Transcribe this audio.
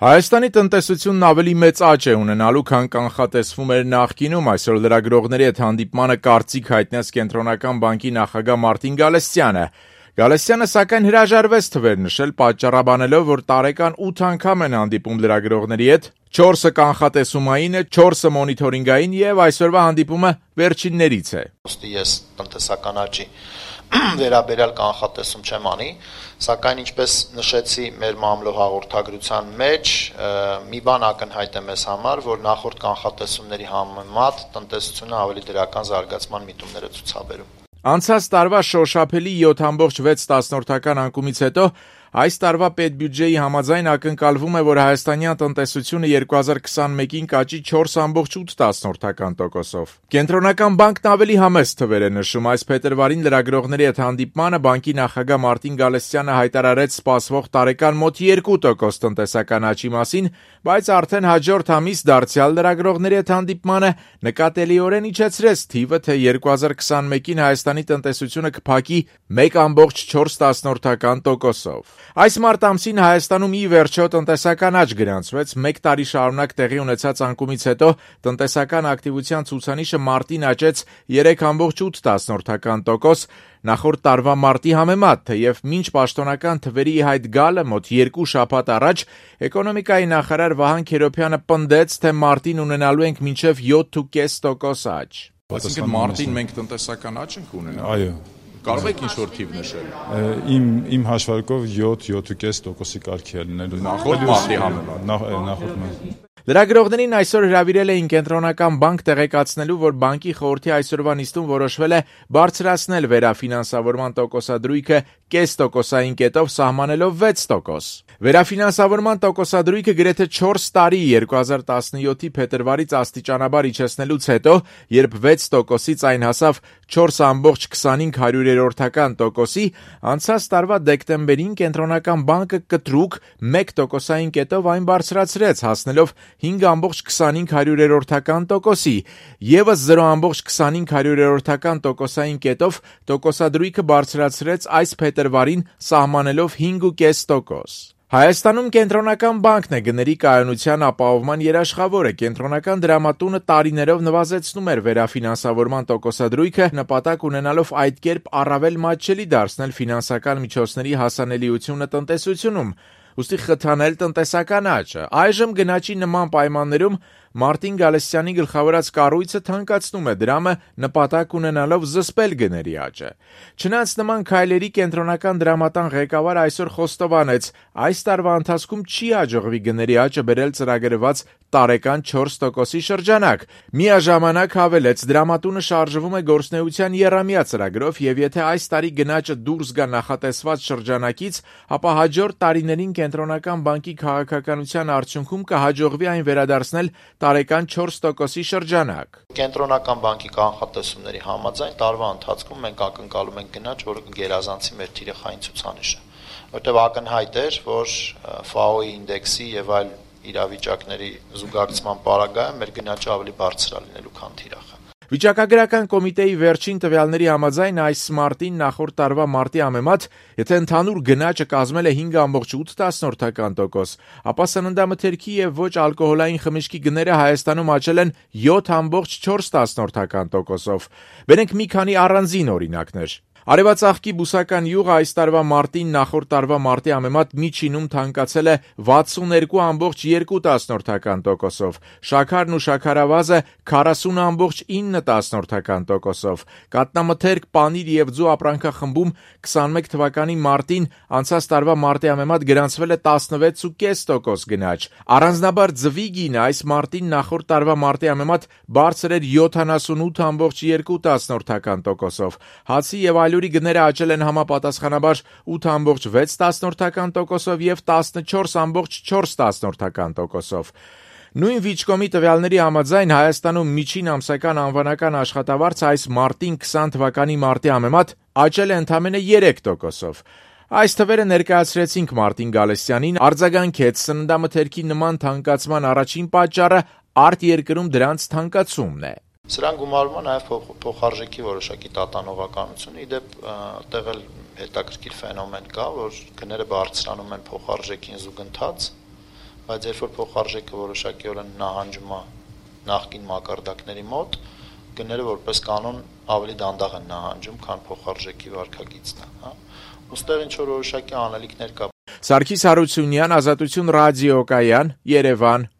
Հայաստանի տնտեսությունն ավելի մեծ աճ է ունենալու, քան կանխատեսվում էր նախկինում, այսօր լրագրողների հետ հանդիպմանը կարծիք հայտնեց Կենտրոնական բանկի նախագահ Մարտին Գալստյանը։ Գալստյանը սակայն հրաժարվեց թվեր նշել, պատճառաբանելով, որ տարեկան 8 անգամ են հանդիպում լրագրողների հետ, 4-ը կանխատեսումային է, 4-ը մոնիթորինգային եւ այսօրվա հանդիպումը վերջիններից է։ Ես տնտեսական աճի վերաբերյալ կանխատեսում չեմ անի, սակայն ինչպես նշեցի մեր մամլո հաղորդագրության մեջ, մի բան ակնհայտ է մեզ համար, որ նախորդ կանխատեսումների համեմատ տնտեսությունը ավելի դրական զարգացման միտումներ է ցուցաբերում։ Անցած տարվա շոշափելի 7.6 անկումից հետո այս տարվա պետբյուջեի համաձայն ակնկալվում է, որ հայաստանյան տնտեսությունը 2021-ին կաճի 4.8%-ով։ Կենտրոնական բանկն ավելի համեստ թվեր է նշում, այս փետրվարին լրագրողների հետ հանդիպմանը բանկի նախագահ Մարտին Գալստյանը հայտարարեց սպասվող տարեկան մոտ 2% տնտեսական աճի մասին, բայց արդեն հաջորդ ամիս դարձյալ լրագրողների հետ հանդիպմանը նկատելիորեն իջեցրեց թիվը, թե 2021-ին Հայաստանի տնտեսությունը կփակի 1.4%-ով։ Այս մարտ ամսին Հայաստանում ի վերջո տնտեսական աճ գրանցվեց, 1 տարի շարունակ տեղի ունեցած անկումից հետո տնտեսական ակտիվության ցուցանիշը մարտին աճեց 3.8%, նախորդ տարվա մարտի համեմատ, թեև մինչ պաշտոնական թվերի հայտ գալը մոտ 2 շաբաթ առաջ էկոնոմիկայի նախարար Վահան Քերոբյանը պնդեց, թե մարտին ունենալու ենք մինչև 7.5% աճ։ Այսինքն մարտին մենք տնտեսական աճ ենք ունենալու։ Այո։ Կարող եք ինչ-որ թիվ նշել։ Իմ հաշվարկով 7-7.5%-ի կարգի է լինելու։ Նախորդ մարտի համեմատ։ Նախորդ մարտի։ Լրագրողներին այսօր հրավիրել էին Կենտրոնական բանկ տեղեկացնելու, որ բանկի խորհրդի այսօրվա նիստում որոշվել է բարձրացնել վերաֆինանսավորման տոկոսադրույքը 0.5%-ային կետով սահմանելով 6%։ Վերաֆինանսավորման տոկոսադրույքը գրեթե 4 տարի 2017-ի փետրվարից աստիճանաբար իջեցնելուց հետո, երբ 6%-ից այն հասավ 4.25%-ի, անցած տարվա դեկտեմբերին Կենտրոնական բանկը կտրուկ 1%-ային կետով այն բարձրացրեց, հասնելով 5.25%-ի, ևս 0.25%-ային կետով տոկոսադրույքը բարձրացրեց այս փետրվարին սահմանելով 5.5%։ Հայաստանում Կենտրոնական բանկն է գների կայունության ապահովման երաշխավորը։ Կենտրոնական դրամատունը տարիներով նվազեցնում էր վերաֆինանսավորման տոկոսադրույքը, նպատակ ունենալով այդ կերպ առավել մատչելի դարձնել ֆինանսական միջոցների հասանելիությունը տնտեսությունում, ուստի խթանել տնտեսական աճը։ Այժմ գնաճի նման պայմաններում Մարտին Գալստյանի գլխավորած կառույցը թանկացնում է դրամը, նպատակ ունենալով զսպել գների աճը։ Չնայած նման քայլերի Կենտրոնական դրամատան ղեկավարը այսօր խոստովանեց, այս տարվա ընթացքում չի հաջողվի գների աճը բերել ծրագրված տարեկան 4%-ի շրջանակ։ Միաժամանակ հավելեց, դրամատունը շարժվում է գործնեության եռամյա ծրագրով եւ եթե այս տարի գնաճը դուրս գա նախատեսված շրջանակից, ապա հաջորդ տարիներին Կենտրոնական բանկի քաղաքականության արդյունքում կհաջողվի այն վերադարձնել տարեկան 4%-ի շրջանակ։ Կենտրոնական բանկի կանխատեսումների համաձայն տարվա ընթացքում մենք ակնկալում ենք գնաճ, որը կգերազանցի մեր թիրախային ցուցանիշը, որտեղ ակնհայտ էր, որ FAO-ի ինդեքսի եւ այլ իրավիճակների զուգակցման պարագայում մեր գնաճը ավելի բարձր է լինելու, քան թիրախը։ Վիճակագրական կոմիտեի վերջին տվյալների համաձայն այս մարտին նախորդ տարվա մարտի համեմատ, եթե ընդհանուր գնաճը կազմել է 5.8%, ապա սննդամթերքի եւ ոչ ալկոհոլային խմիչքի գները Հայաստանում աճել են 7.4%-ով։ Բերենք մի քանի առանձին օրինակներ։ Արևածաղկի բուսական յուղը այս տարվա մարտին նախորդ տարվա մարտի համեմատ միջինում թանկացել է 62.2%-ով, շաքարն ու շաքարավազը 40.9%-ով, կատնամթերք, պանիր եւ ձու ապրանքախմբում 21 թվականի մարտին անցած տարվա մարտի համեմատ գրանցվել է 16.5% գնաճ։ Առանձնաբար ձվի գինը այս մարտին նախորդ տարվա մարտի համեմատ բարձր էր 78.2%-ով, հացի եւ այլուրի գները աճել են համապատասխանաբար 8.6%-ով եւ 14.4%-ով։ Նույն Վիճկոմի տվյալների համաձայն Հայաստանում միջին ամսական անվանական աշխատավարձը այս մարտին 20 թվականի մարտի համեմատ աճել է ընդամենը 3%-ով։ Այս թվերը ներկայացրեցինք Մարտին Գալստյանին, արձագանքեց սննդամթերքի նման թանկացման առաջին պատճառը արտերկրում դրանց թանկացումն է։ Սրան գումարվում է նաև փոխարժեքի որոշակի տատանողականություն, իդեպ այդտեղ էլ հետաքրքիր ֆենոմեն կա, որ գները բարձրանում են փոխարժեքին զուգընթաց, բայց երբ որ փոխարժեքը որոշակի օրեն նահանջում է նախկին մակարդակների մոտ, գները որպես կանոն ավելի դանդաղ են նահանջում, քան փոխարժեքի վարկագիծն է, հա։ Ոստեղ ինչ որ որոշակի անելիքներ կա։ Սարգիս Հարությունյան, Ազատություն ռադիոկայան, Երևան։